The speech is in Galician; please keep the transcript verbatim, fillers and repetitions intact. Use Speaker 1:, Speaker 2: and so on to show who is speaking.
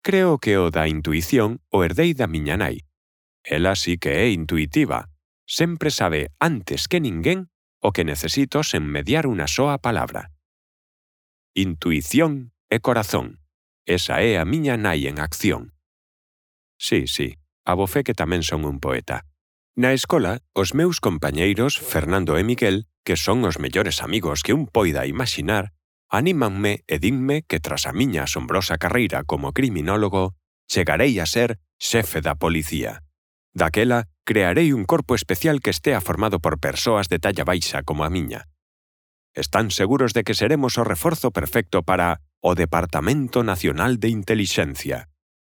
Speaker 1: creo que o da intuición o herdei da miña nai. Ela sí que é intuitiva. Sempre sabe antes que ninguén o que necesito sen mediar unha soa palabra. Intuición e corazón. Esa é a miña nai en acción. Sí, sí, abofé que tamén son un poeta. Na escola, os meus compañeiros, Fernando e Miguel, que son os mellores amigos que un poida imaxinar, anímanme e dinme que tras a miña asombrosa carreira como criminólogo, chegarei a ser xefe da policía. Daquela, crearei un corpo especial que estea formado por persoas de talla baixa como a miña. Están seguros de que seremos o reforzo perfecto para o Departamento Nacional de Intelixencia.